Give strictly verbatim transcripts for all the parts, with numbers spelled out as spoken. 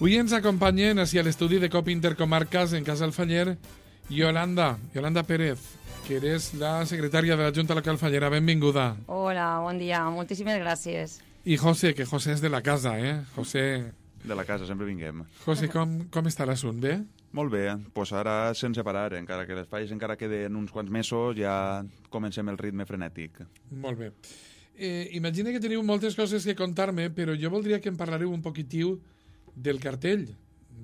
Avui ens acompanyen hacia l'estudi de COPE Intercomarcas en Casa Alfaller Yolanda, Yolanda Pérez, que eres la secretària de la Junta Local Fallera. Benvinguda. Hola, bon dia. Moltíssimes gràcies. I José, que José és de la casa, eh? José... De la casa, sempre vinguem. José, com, com està l'assunt? Bé? Molt bé, pues ara sense parar, encara que les falles encara queden uns quants mesos, ja comencem el ritme frenètic. Molt bé. Eh, imagina que teniu moltes coses que contar-me, però jo voldria que em parlareu un poquitiu del cartell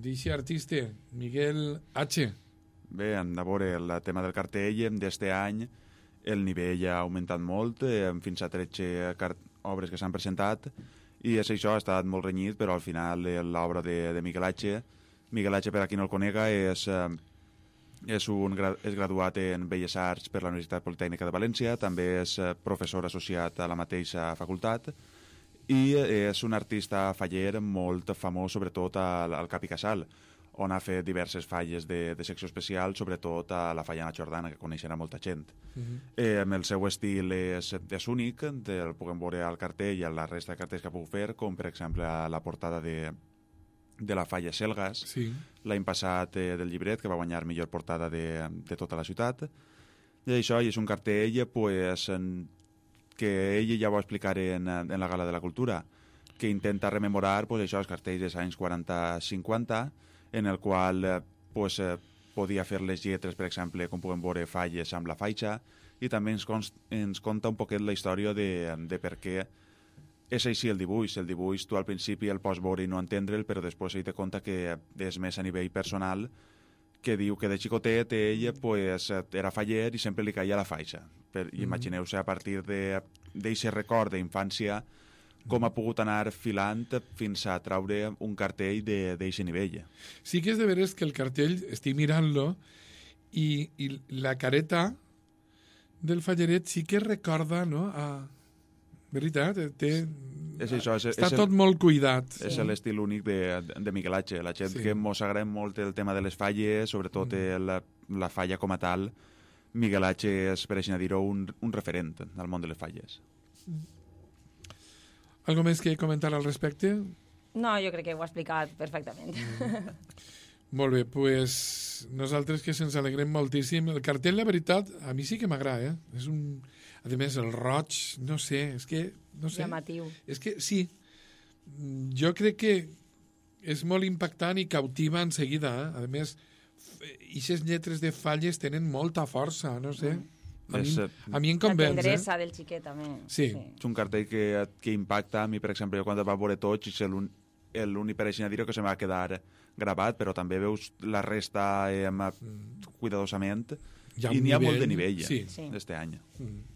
d'eixe artista, Miguel H. Bé, a veure, el tema del cartell d'este any, el nivell ha augmentat molt, eh, fins a tretze obres que s'han presentat, i és això, ha estat molt renyit, però al final l'obra de, de Miguel H. Miguel H., per a qui no el conega, és, eh, és, un, és graduat en Belles Arts per la Universitat Politècnica de València, també és professor associat a la mateixa facultat, i és un artista faller molt famós, sobretot al, al Cap i Casal, on ha fet diverses falles de, de secció especial, sobretot a la falla Ana Jordana, que coneixerà molta gent. Uh-huh. eh, el seu estil és, és únic, el puguem veure al cartell i a la resta de cartells que ha pogut fer, com per exemple a la portada de, de la falla Selgas, sí. L'any passat eh, del llibret, que va guanyar millor portada de, de tota la ciutat. I això i és un cartell pues, en, que ell ja ho va explicar en, en la Gala de la Cultura, que intenta rememorar pues, això, els cartells dels anys quaranta cinquanta, en el qual eh, pues, eh, podia fer les lletres, per exemple, com puguem veure falles amb la faixa, i també ens, const, ens conta un poquet la història de, de per què és així el dibuix. El dibuix tu al principi el pots veure i no entendre'l, però després ell te conta que és més a nivell personal, que diu que de xicotet ell pues, era faller i sempre li caia la faixa. Per, mm-hmm. Imagineu-se a partir d'aquest record d'infància com ha pogut anar filant fins a traure un cartell d'aquest nivell. Sí que és de veres que el cartell, estic mirant-lo, i, i la careta del falleret sí que recorda, no?, a... Veritat, té... És això, és, està és tot el, molt cuidat. És sí. L'estil únic de, de Miguel H. La gent sí. Que mos agrada molt el tema de les falles, sobretot mm. la, la falla com a tal, Miguel H. és, per així dir-ho, un, un referent al món de les falles. Mm. Algo més que comentar al respecte? No, jo crec que ho ha explicat perfectament. Mm. Molt bé, doncs pues, nosaltres que se'ns alegrem moltíssim. El cartell, la veritat, a mi sí que m'agrada, eh? És un... A més, el roig, no sé, és que... No sé. Llamatiu. És que, sí, jo crec que és molt impactant i cautiva en seguida, eh? A més, aquestes lletres de falles tenen molta força, no sé... Mm. A mi, a mi em convenç, la tendresa eh? del xiquet, també. Sí. sí. És un cartell que, que impacta. A mi, per exemple, jo quan el va veure tots, és l'únic per així dir que se m'ha quedar gravat, però també veus la resta eh, cuidadosament i n'hi ha molt de nivell sí. eh, d'este any. Mm.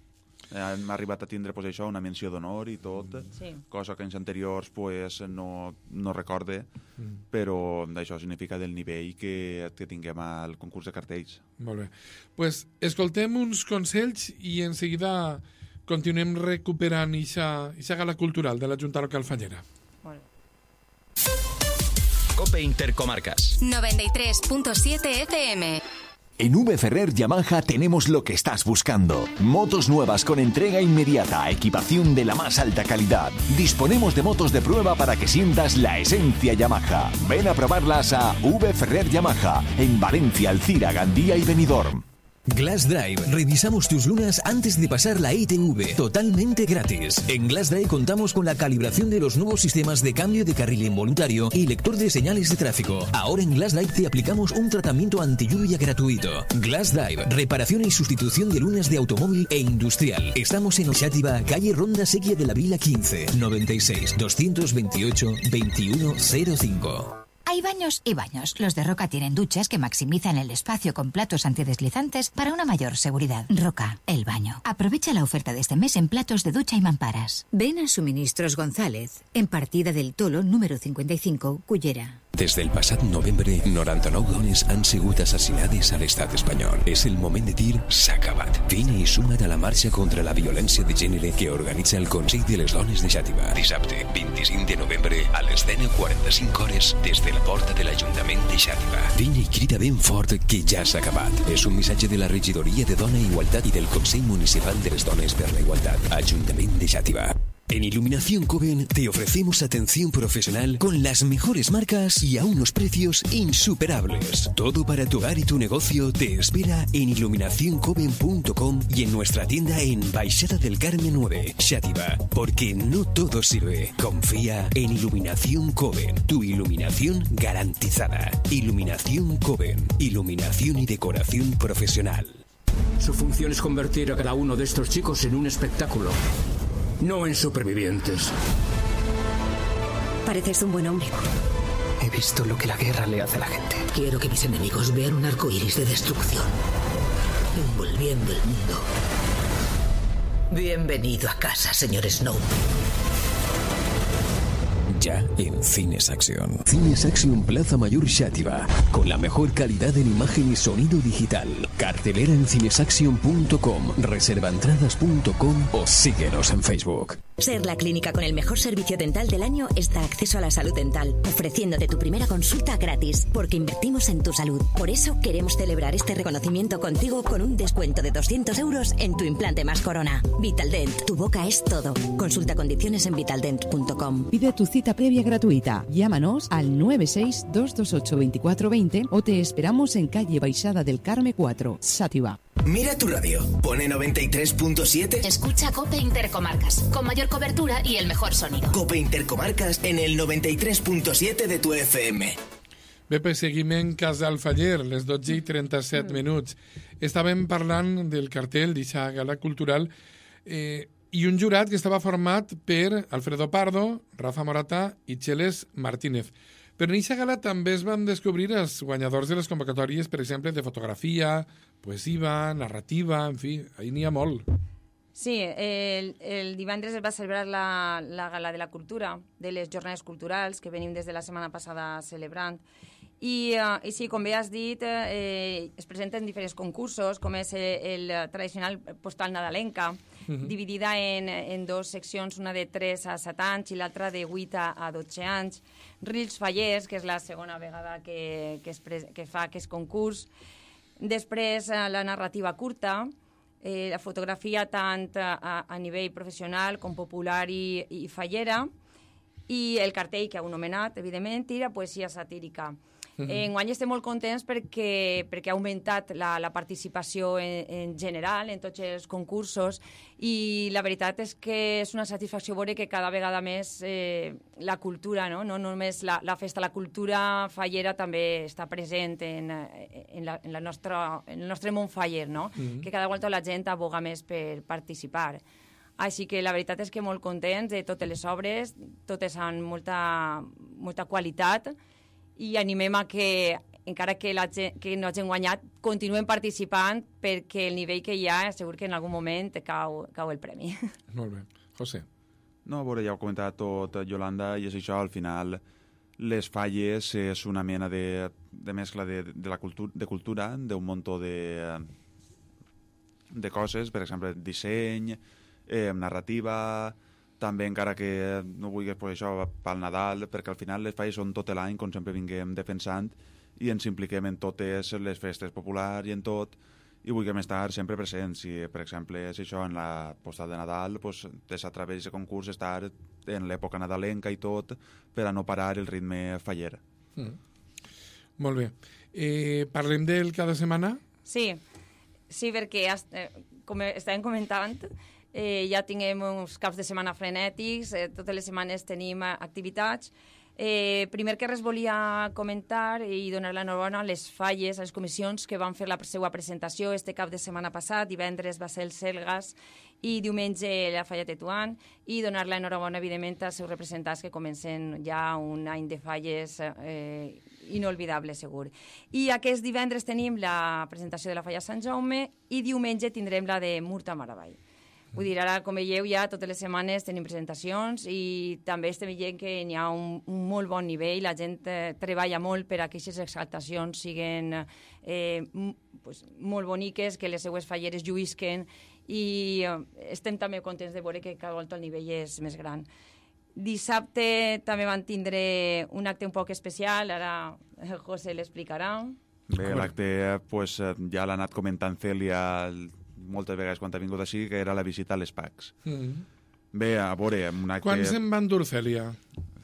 Hem arribat a tindre pues, això, una menció d'honor i tot, sí. Cosa que en anteriors pues, no, no recorde, mm. però això significa del nivell que, que tinguem al concurs de cartells. Molt bé. Pues, escoltem uns consells i en seguida continuem recuperant aquesta gala cultural de la Junta Local Fallera. Molt bé. COPE Intercomarcas noventa y tres punto siete F M. En V Ferrer Yamaha tenemos lo que estás buscando. Motos nuevas con entrega inmediata, equipación de la más alta calidad. Disponemos de motos de prueba para que sientas la esencia Yamaha. Ven a probarlas a V Ferrer Yamaha, en Valencia, Alcira, Gandía y Benidorm. Glass Drive. Revisamos tus lunas antes de pasar la I T V, totalmente gratis. En Glass Drive contamos con la calibración de los nuevos sistemas de cambio de carril involuntario y lector de señales de tráfico. Ahora en Glass Drive te aplicamos un tratamiento anti-lluvia gratuito. Glass Drive, reparación y sustitución de lunas de automóvil e industrial. Estamos en Xàtiva, calle Ronda Sequia de la Vila quince, noventa y seis, doscientos veintiocho, veintiuno cero cinco. Hay baños y baños. Los de Roca tienen duchas que maximizan el espacio con platos antideslizantes para una mayor seguridad. Roca, el baño. Aprovecha la oferta de este mes en platos de ducha y mamparas. Ven a Suministros González, en Partida del Tolo, número cincuenta y cinco, Cullera. Des del passat novembre, noranta-nou dones han sigut assassinades a l'estat espanyol. És el moment de dir s'ha acabat. Vine i suma't a la marxa contra la violència de gènere que organitza el Consell de les Dones de Xàtiva. Dissabte, vint-i-cinc de novembre, a les deu quaranta-cinc hores, des de la porta de l'Ajuntament de Xàtiva. Vine i crida ben fort que ja s'ha acabat. És un missatge de la Regidoria de Dona i Igualtat i del Consell Municipal de les Dones per la Igualtat. Ajuntament de Xàtiva. En Iluminación Coven te ofrecemos atención profesional con las mejores marcas y a unos precios insuperables. Todo para tu hogar y tu negocio te espera en iluminación coven punto com y en nuestra tienda en Baixada del Carmen nueve, Xàtiva. Porque no todo sirve. Confía en Iluminación Coven, tu iluminación garantizada. Iluminación Coven, iluminación y decoración profesional. Su función es convertir a cada uno de estos chicos en un espectáculo. No en supervivientes. Pareces un buen hombre. He visto lo que la guerra le hace a la gente. Quiero que mis enemigos vean un arco iris de destrucción, envolviendo el mundo. Bienvenido a casa, señor Snow. Ya en Cines Acción. Cines Acción Plaza Mayor Xàtiva. Con la mejor calidad en imagen y sonido digital. Cartelera en cinesaction punto com, reservaentradas punto com o síguenos en Facebook. Ser la clínica con el mejor servicio dental del año es dar acceso a la salud dental, ofreciéndote tu primera consulta gratis, porque invertimos en tu salud. Por eso queremos celebrar este reconocimiento contigo con un descuento de doscientos euros en tu implante más corona. Vitaldent, tu boca es todo. Consulta condiciones en vitaldent punto com. Pide tu cita previa gratuita. Llámanos al nueve seis dos dos ocho dos cuatro dos cero o te esperamos en calle Baixada del Carmen cuatro, Xàtiva. Mira tu radio, pone noventa y tres punto siete. Escucha Cope Intercomarcas, con mayor cobertura y el mejor sonido. Cope Intercomarcas en el noventa y tres punto siete de tu F M. Bé, pues seguim en Casal Faller, les dotze i trenta-set minuts. Estàvem parlant del cartell d'eixa gala cultural eh, i un jurat que estava format per Alfredo Pardo, Rafa Morata i Cheles Martínez. Però en aquesta gala també es van descobrir els guanyadors de les convocatòries, per exemple, de fotografia, poesia, narrativa, en fi, ahí n'hi ha molt. Sí, el, el divendres es va celebrar la, la Gala de la Cultura, de les Jornades Culturals, que venim des de la setmana passada celebrant. I, uh, i sí, com bé has dit, eh, es presenten diferents concursos, com és el, el tradicional postal nadalenca, uh-huh. dividida en, en dos seccions, una de tres a set anys i l'altra de vuit a dotze anys. Rils Fallers, que és la segona vegada que, que, es pres que fa aquest concurs. Després, la narrativa curta, eh, la fotografia tant a, a nivell professional com popular i, i fallera, i el cartell que heu nomenat, evidentment, i la poesia satírica. Uh-huh. Enguany estem molt contents perquè, perquè ha augmentat la, la participació en, en general en tots els concursos i la veritat és que és una satisfacció veure que cada vegada més eh, la cultura, no, no només la, la festa, la cultura fallera també està present en, en, la, en, la nostra, en el nostre món faller, no? Uh-huh. Que cada volta la gent aboga més per participar. Així que la veritat és que molt contents de totes les obres, totes amb molta, molta qualitat, i animem a que, encara que, la gent, que no hagin guanyat, continuem participant perquè el nivell que hi ha segur que en algun moment cau, cau el premi. Molt bé. José. No, a veure, ja ho ha comentat tot Yolanda, i és això, al final les falles és una mena de, de mescla de, de, la cultura, de cultura, d'un muntó de, de coses, per exemple, disseny, eh, narrativa, també encara que no vulguis pues, això pel Nadal, perquè al final les falles són tot l'any, com sempre vinguem defensant, i ens impliquem en totes les festes populars i en tot, i vulguem estar sempre presents. Si, per exemple, és això, en la postal de Nadal, pues, a través d'aquest concurs estar en l'època nadalenca i tot, per a no parar el ritme faller. Mm. Molt bé. Eh, parlem del cada setmana? Sí, sí, perquè eh, com estàvem comentant, Eh, ja tinguem uns caps de setmana frenètics, eh, totes les setmanes tenim activitats. Eh, primer que res volia comentar i donar l'enhorabona a les falles, a les comissions que van fer la seva presentació este cap de setmana passat. Divendres va ser el Selgas i diumenge la Falla Tetuan, i donar l'enhorabona, evidentment, als seus representants que comencen ja un any de falles eh, inolvidable, segur. I aquest divendres tenim la presentació de la Falla Sant Jaume i diumenge tindrem la de Murta Maravall. Vull dir, ara, com veieu, ja totes les setmanes tenim presentacions i també estem veient que hi ha un, un molt bon nivell, la gent eh, treballa molt per a que aquestes exaltacions siguin eh, m, pues, molt boniques, que les seues falleres lluïsquen, i eh, estem també contents de veure que cada volta el nivell és més gran. Dissabte també van tindre un acte un poc especial, ara el José l'explicarà. Bé, l'acte pues, ja l'ha anat comentant Cèlia moltes vegades quan ha vingut així, que era la visita a les P A Cs. Mm-hmm. Bé, a veure... Un acte... Quants en van dur, Cèlia?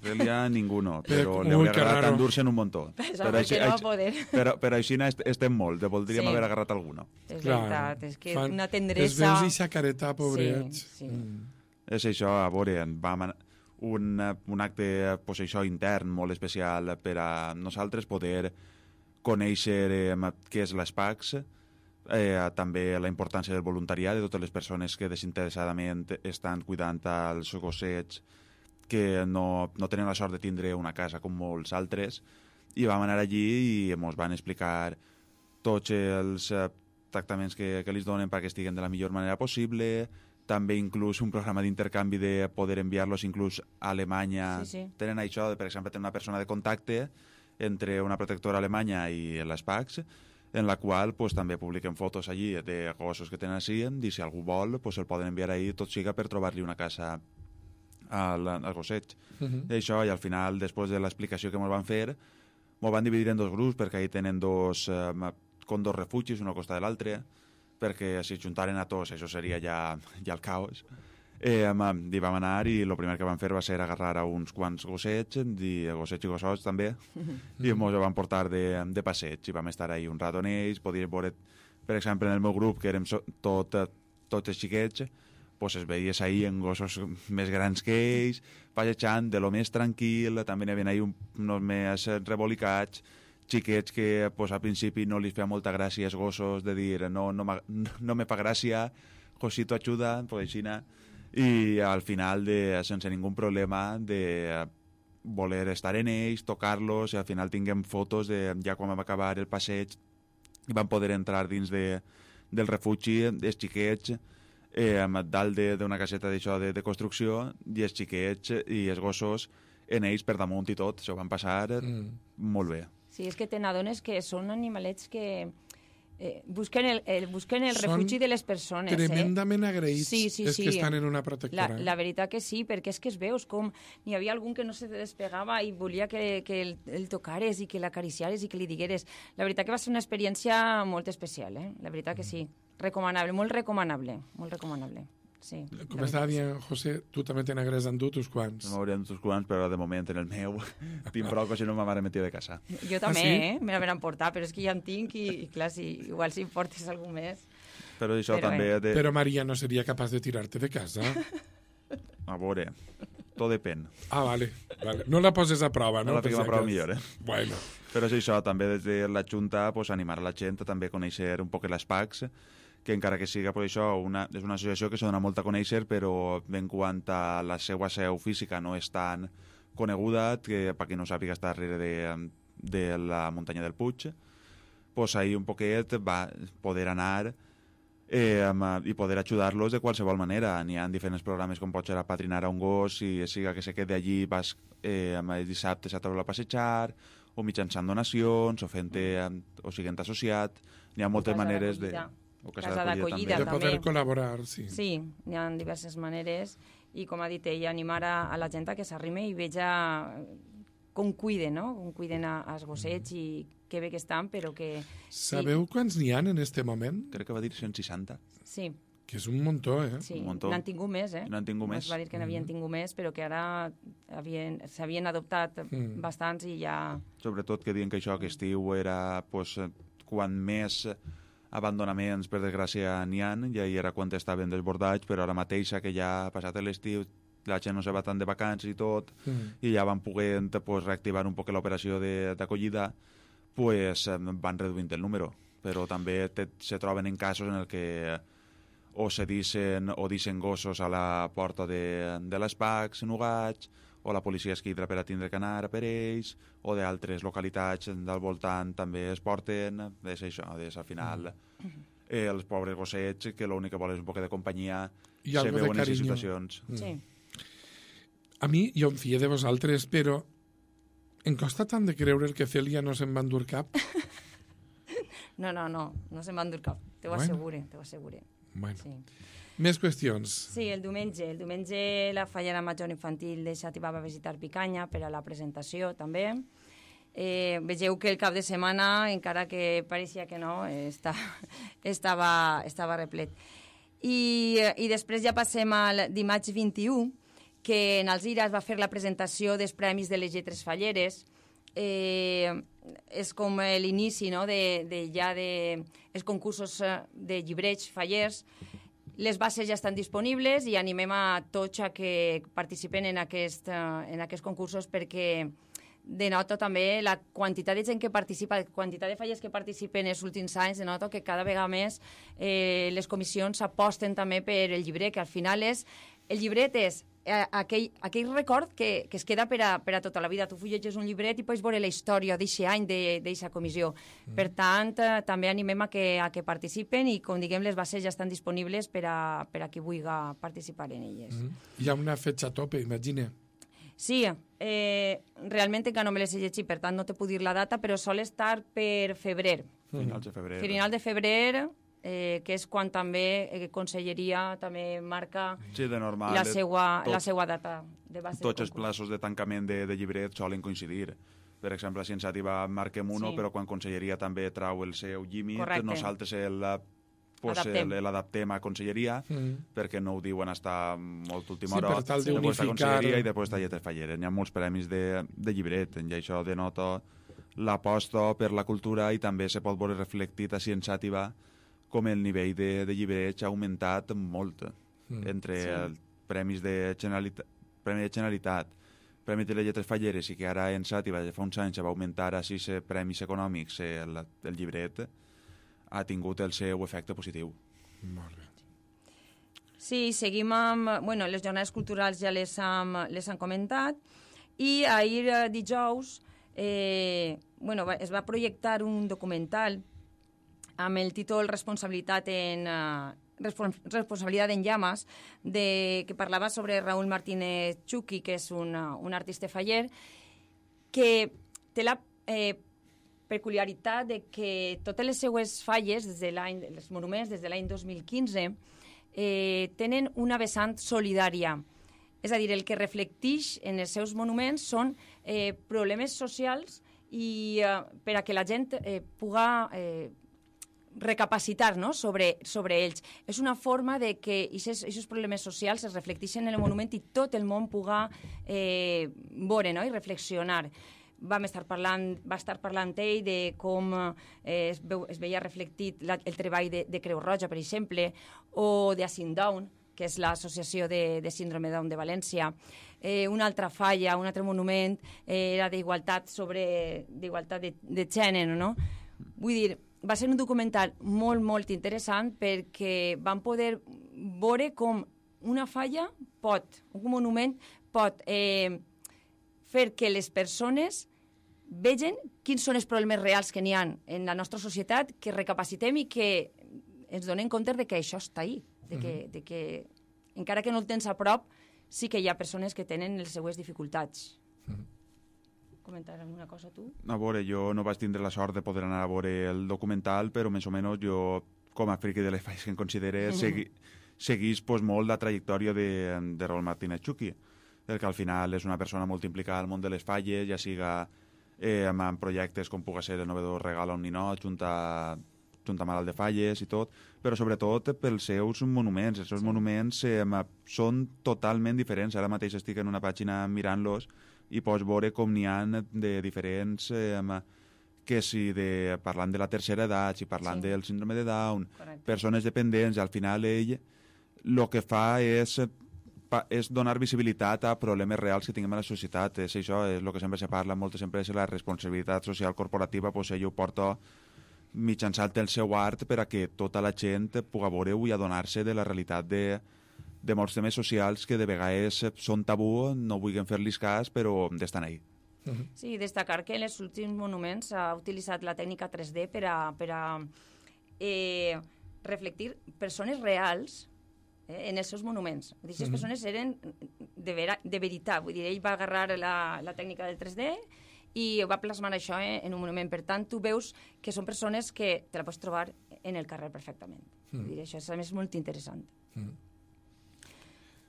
Cèlia, ninguno, però Ui, li hauria que agradat raro. endur-se'n un muntó. Pensava que no va poder. Però, però així est- estem molt, de voldríem Sí. haver agarrat alguno. És veritat, és que Fan- una Els tendresa... veus i xacareta, pobrets. Sí, sí. Mm. És això, a veure, vam anar- un, un acte, pues, això, intern molt especial per a nosaltres poder conèixer eh, què és l'ESPACS, eh, també la importància del voluntariat de totes les persones que desinteressadament estan cuidant els gossets que no, no tenen la sort de tindre una casa com molts altres, i vam anar allí i ens van explicar tots els eh, tractaments que, que els donen perquè estiguen de la millor manera possible, també inclús un programa d'intercanvi de poder enviar-los inclús a Alemanya. Sí, sí. Tenen això, per exemple, tenen una persona de contacte entre una protectora alemanya i l'ESPACS, en la qual pues, també publiquen fotos allí de gossos que tenen així, i si algú vol pues, el poden enviar ahí, tot siga per trobar-li una casa al, al gosset. Uh -huh. I això, i al final, després de l'explicació que ens van fer, ens van dividir en dos grups, perquè ahí tenen dos, eh, con dos refugis, un al costat de l'altre, perquè si juntaren a tots això seria ja, ja el caos. Eh, i vam anar i el primer que vam fer va ser agarrar a uns quants gossets, i gossets i gossots també, i ens van portar de, de passeig, i vam estar ahí un rato en ells, podíem veure, per exemple, en el meu grup, que érem so, tot, tots els xiquets, pues es veies ahí en gossos més grans que ells, passejant de lo més tranquil, també n'hi havia ahí un, uns més rebolicats, xiquets que pues, al principi no li feia molta gràcia als gossos, de dir no, no, no me fa gràcia, Josito ajuda, pues així, i al final, de, sense ningú problema, de voler estar en ells, tocar-los, i al final tinguem fotos de ja quan vam acabar el passeig i vam poder entrar dins de, del refugi, els xiquets, eh, dalt d'una caseta d'això de, de construcció, i els xiquets i els gossos en ells per damunt i tot, això van passar mm. molt bé. Sí, és que te n'adones que són animalets que eh, busquen, el, el, busquen el refugi de les persones. Tremendament eh? agraïts sí, sí, és sí. que estan en una protectora. La, la veritat que sí, perquè és que es veus com n'hi havia algun que no se despegava i volia que, que el, el tocares i que l'acariciares i que li digueres. La veritat que va ser una experiència molt especial, eh? La veritat que sí. Recomanable, molt recomanable, molt recomanable. Sí, com estava dient, José, tu també te n'hagués endut uns quants. No m'haurien endut uns quants, però de moment en el meu tinc prou que si no ma mare metia de casa. Jo també, ah, sí? eh? Me l'haveren portat, però és que ja en tinc i, i clar, si, igual si portes algú més... Però això però, també... eh. De... Però Maria no seria capaç de tirar-te de casa? A veure, tot depèn. Ah, vale, vale. No la poses a prova, no? No la fiquem a prova millor, eh? Bueno. Però és això, també des de la Junta pues, animar a la gent a també conèixer un poc les PACs, que encara que siga per això, una, és una associació que se dona molt a conèixer, però en quant a la seva seu física no és tan coneguda, que per qui no sàpiga està darrere de, de la muntanya del Puig, pues ahí un poquet va poder anar eh, i poder ajudar-los de qualsevol manera. N'hi ha diferents programes com pot ser apadrinar a un gos i siga que se quede allí, vas eh, el dissabte a trobar a passejar, o mitjançant donacions, o fent o siguent associat. N'hi ha moltes maneres de... O casa, casa d'acollida també. De poder col·laborar, sí. Sí, hi ha diverses maneres i, com ha dit ella, animar a, a la gent a que s'arrime i veja com cuiden, no? Com cuiden als gossets i que bé que estan, però que... Sabeu quants n'hi ha en este moment? Crec que va dir cent seixanta. Sí. Que és un muntó, eh? Sí, un muntó. n'han tingut més, eh? N'han tingut més. Es va dir que n'havien tingut més, però que ara s'havien adoptat mm. bastants i ja... Sobretot que diuen que això, que estiu era pues, quan més abandonaments, per desgràcia, n'hi ha, ja hi era quan estaven desbordats, però ara mateixa que ja ha passat l'estiu, la gent no se va tant de vacances i tot, mm. i ja van poder pues, reactivar un poc l'operació d'acollida, pues, van reduint el número. Però també te, se troben en casos en el que o se dicen o dicen gossos a la porta de, de les PACs, nugats, o la policia es quidra per a tindre que anar per ells, o d'altres localitats del voltant també es porten, és això, és al final eh, els pobres gossets que l'únic que volen és un poc de companyia, I se veuen en carinyo. situacions. Mm. Sí. A mi, jo em fie de vosaltres, però em costa tant de creure el que Cèlia no se'n va endur cap. No, no, no, no se'n va endur cap, te ho Bueno. assegure, te ho assegure. Bueno. Sí. Més qüestions. Sí, el diumenge. El diumenge la Fallera Major Infantil de Xàtiva va visitar Picanya per a la presentació, també. Eh, vegeu que el cap de setmana, encara que pareixia que no, està, estava, estava replet. I, i després ja passem al dimarts vint-i-u, que en Alzira es va fer la presentació dels Premis de les Lletres Falleres. Eh, és com l'inici, no?, de, de ja de els concursos de llibrets fallers. Les bases ja estan disponibles i animem a tots a que participen en, aquest, en aquests concursos perquè denota també la quantitat de gent que participa, la quantitat de falles que participen en els últims anys, denota que cada vegada més eh, les comissions aposten també per el llibret, que al final és... El llibret és eh, aquell, aquell record que, que es queda per a, per a tota la vida. Tu fulleges un llibret i pots veure la història d'aquest any d'aquesta comissió. Mm. Per tant, eh, també animem a que, a que participen i, com diguem, les bases ja estan disponibles per a, per a qui vulgui participar en elles. Mm. Hi ha una fetge a tope, imagina. Sí, eh, realment encara no me les he llegit, per tant no te puc dir la data, però sol estar per febrer. Finals de febrer. Final de febrer... Eh, que és quan també eh, Conselleria també marca sí, de normal, la seva, tot, la seva data de base. Tots els plaços de tancament de, de llibret solen coincidir. Per exemple, si en Sàtiva marquem uno, sí. Però quan Conselleria també trau el seu límit, correcte. Nosaltres l'adaptem a Conselleria, mm. perquè no ho diuen hasta molt última hora. Sí, per tal d'unificar... Després està Conselleria i després està Lletres Falleres. Hi ha molts premis de, de llibret, i això denota l'aposta per la cultura i també se pot veure reflectit així en Sàtiva com el nivell de, de llibreig ha augmentat molt mm. entre sí. els premis de Generalitat, Premi de Generalitat, Premi de les Lletres Falleres, i que ara en Sàtiva ja fa uns anys va augmentar a sis premis econòmics, el, el llibret ha tingut el seu efecte positiu. Molt bé. Sí, seguim amb... Bueno, les jornades culturals ja les hem, les hem comentat, i ahir dijous eh, bueno, es va projectar un documental amb el títol Responsabilitat en, uh, Responsabilitat en llames, de, que parlava sobre Raúl Martínez Chuqui, que és un, uh, un artista faller, que té la eh, peculiaritat de que totes les seues falles, des de l'any, els monuments des de l'any dos mil quinze, eh, tenen una vessant solidària. És a dir, el que reflecteix en els seus monuments són eh, problemes socials i eh, per a que la gent eh, puga... Eh, recapacitar, no?, sobre, sobre ells. És una forma de que aquests problemes socials es reflecteixen en el monument i tot el món puga eh, veure, no?, i reflexionar. Vam estar parlant, va estar parlant ell de com eh, es, veu, es veia reflectit la, el treball de, de Creu Roja, per exemple, o de Acin Down, que és l'associació de, de síndrome Down de València. Eh, una altra falla, un altre monument, eh, era d'igualtat sobre d'igualtat de, de gènere, no? Vull dir, va ser un documental molt, molt interessant perquè vam poder veure com una falla pot, un monument pot eh, fer que les persones vegin quins són els problemes reals que n'hi ha en la nostra societat, que recapacitem i que ens donem compte de que això està ahí, de que, uh-huh. de que encara que no el tens a prop, sí que hi ha persones que tenen les seues dificultats. Uh-huh. Comentar alguna cosa tu? A veure, jo no vaig tindre la sort de poder anar a veure el documental, però més o menys jo, com a friqui de les falles que em considere, mm-hmm. segui, seguís pues, molt la trajectòria de, de Raúl Martínez Chuqui, perquè al final és una persona molt implicada al món de les falles, ja siga eh, amb, amb projectes com pugui ser el novedor Regal a un ninot, junta, junta malalt de falles i tot, però sobretot pels seus monuments. Els seus sí. monuments eh, són totalment diferents. Ara mateix estic en una pàgina mirant-los i pots veure com n'hi ha de diferents, eh, que si de, parlant de la tercera edat, si parlant sí. del síndrome de Down, correcte. Persones dependents, al final ell el que fa és, és donar visibilitat a problemes reals que tinguem a la societat. És això, és el que sempre se parla en moltes empreses, la responsabilitat social corporativa, pues ell ho porta mitjançant el seu art per a que tota la gent pugui veure-ho i adonar-se de la realitat de de molts temes socials que de vegades són tabú, no vulguin fer-los cas, però estan ahí. Uh-huh. Sí, destacar que en els últims monuments s'ha utilitzat la tècnica tres D per a, per a eh, reflectir persones reals eh, en els seus monuments. Aquestes uh-huh. persones eren de, vera, de veritat, vull dir, ell va agarrar la, la tècnica del tres D i va plasmar això eh, en un monument. Per tant, tu veus que són persones que te la pots trobar en el carrer perfectament. Uh-huh. Vull dir, això és, a més, molt interessant. Uh-huh.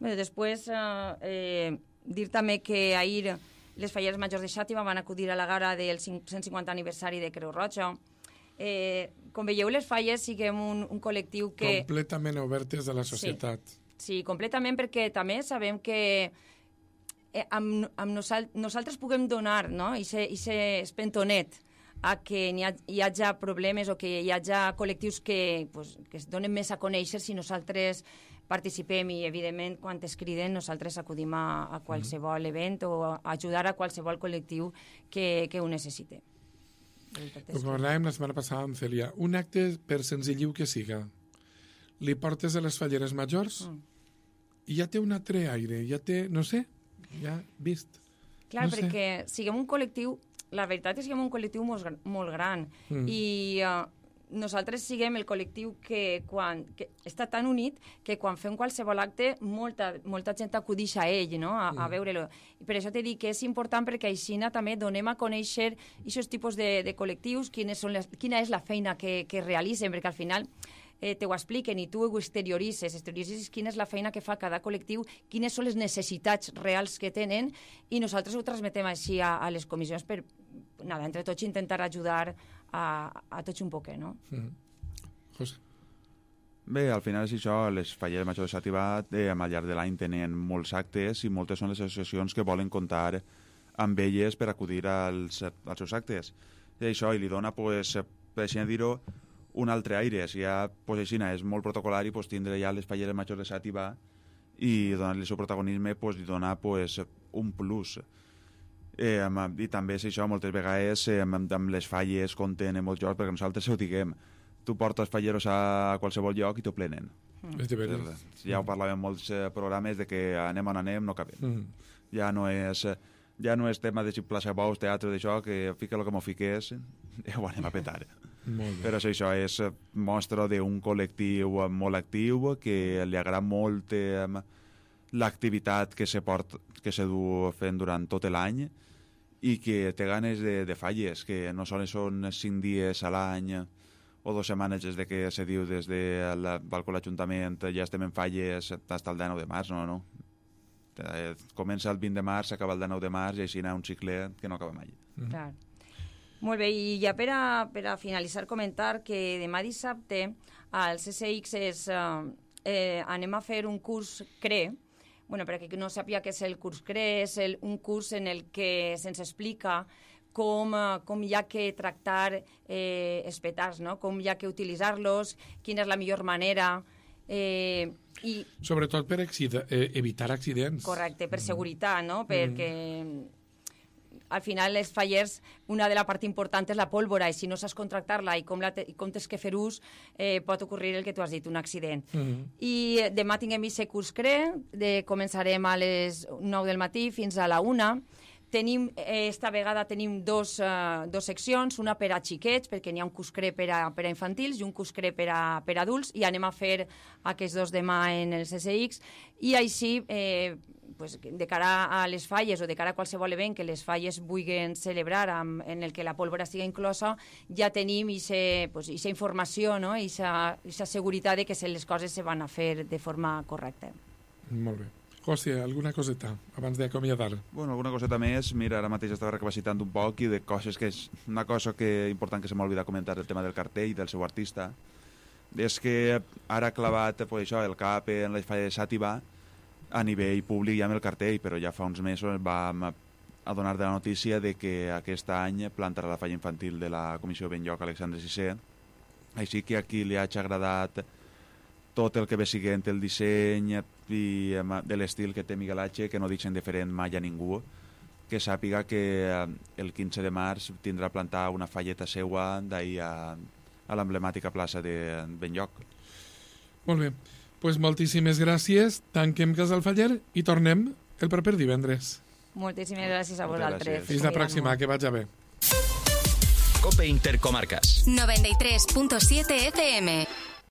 Bé, després, eh, eh, dir també que ahir les falleres majors de Xàtiva van acudir a la gala del cent cinquanta aniversari de Creu Roja Eh, com veieu, les falles siguem un, un col·lectiu que... Completament obertes a la societat. Sí, sí, completament, perquè també sabem que eh, amb, amb nosal nosaltres puguem donar, no?, i ser espentonet a que hi, ha, hi hagi problemes o que hi hagi col·lectius que, pues, que es donen més a conèixer si nosaltres participem i, evidentment, quan es criden, nosaltres acudim a, a qualsevol event o a ajudar a qualsevol col·lectiu que, que ho necessite. Ho parlàvem la setmana passada amb Celia. Un acte, per senzilliu que siga, li portes a les falleres majors mm. i ja té un altre aire, ja té, no sé, ja vist. Clar, no perquè sé. siguem un col·lectiu, la veritat és que siguem un col·lectiu molt, molt gran mm. i uh, nosaltres siguem el col·lectiu que, quan, que està tan unit que quan fem qualsevol acte molta, molta gent acudix a ell, no?, a, a veure-lo. I per això t'he dit que és important perquè així també donem a conèixer aquests tipus de, de col·lectius, quines són les, quina és la feina que, que realitzen, perquè al final eh, te ho expliquen i tu ho exterioritzes, exterioritzes quina és la feina que fa cada col·lectiu, quines són les necessitats reals que tenen i nosaltres ho transmetem així a, a les comissions per, nada, entre tots intentar ajudar a, a tots un poquet, no? Mm. José. Bé, al final és això, les falleres majors de Xàtiva eh, al llarg de l'any tenen molts actes i moltes són les associacions que volen comptar amb elles per acudir als, als seus actes. I això, i li dona, pues, per així dir-ho, un altre aire. Si ja, pues, així, és molt protocolari, pues, tindre ja les falleres majors de Xàtiva i donar-li el seu protagonisme, pues, li dona, pues, un plus. Eh, i també és això, moltes vegades eh, amb, amb les falles compten en molts jocs, perquè nosaltres ho diguem, tu portes falleros a qualsevol lloc i t'ho plenen. Mm. Ja ho parlàvem en molts eh, programes de que anem on anem, no cabem. Mm. Ja no és ja no és tema de si plaça bous, teatre, d'això, que fica el que m'ho fiqués, ja ho anem a petar. Però això és mostra d'un col·lectiu molt actiu, que li agrada molt eh, l'activitat que se port, que se du fent durant tot l'any i que té ganes de, de falles, que no sols són cinc dies a l'any o dues setmanes des de que se diu des del balcó de l'Ajuntament ja estem en falles fins al dinou de març, no, no. Comença el vint de març, acaba el dinou de març i així hi ha un cicle que no acaba mai. Mm. Clar. Molt bé, i ja per a, per a finalitzar comentar que demà dissabte al C C X és, eh, anem a fer un curs C R E. Bueno, per a qui no sàpiga què és el curs C R E, és el, un curs en el que se'ns explica com, com hi ha que tractar eh, els petards, no? Com hi ha que utilitzar-los, quina és la millor manera. Eh, i... Sobretot per accide eh, evitar accidents. Correcte, per seguretat, no? Perquè al final les fallers, una de la part important és la pólvora, i si no saps contractar-la i com, la te, i com tens que fer ús, eh, pot ocorrir el que tu has dit, un accident. Mm-hmm. I demà tinguem aquest curs C R E, de, començarem a les nou del matí fins a la una. Tenim, eh, esta vegada tenim dos, uh, dos seccions, una per a xiquets, perquè n'hi ha un curs C R E per a, per a infantils i un curs C R E per a, per a adults, i anem a fer aquests dos demà en el C C X, i així, eh, pues, de cara a les falles o de cara a qualsevol event que les falles vulguin celebrar amb, en el que la pólvora estigui inclosa, ja tenim aquesta pues, informació, no? Aquesta seguretat de que les coses se van a fer de forma correcta. Molt bé. José, alguna coseta abans d'acomiadar? Bueno, alguna coseta més. Mira, ara mateix estava recapacitant un poc i de coses que és una cosa que important que se m'ha oblidat comentar, el tema del cartell i del seu artista, és que ara ha clavat pues, això, el cap en la falla de Xàtiva a nivell públic ja amb el cartell, però ja fa uns mesos vam adonar de la notícia de que aquest any plantarà la falla infantil de la Comissió Ben Lloc Alexandre sisè, així que aquí li ha agradat tot el que ve siguent el disseny i de l'estil que té Miguel H, que no deixen diferent mai a ningú, que sàpiga que el quinze de març tindrà a plantar una falleta seua d'ahir a, a l'emblemàtica plaça de Ben Lloc. Molt bé. Pues moltíssimes gràcies, tanquem Casal Faller i tornem el proper divendres. Moltíssimes gràcies a vosaltres. Fins la pròxima, que vaig bé. Cope Intercomarcas. noventa y tres punto siete F M.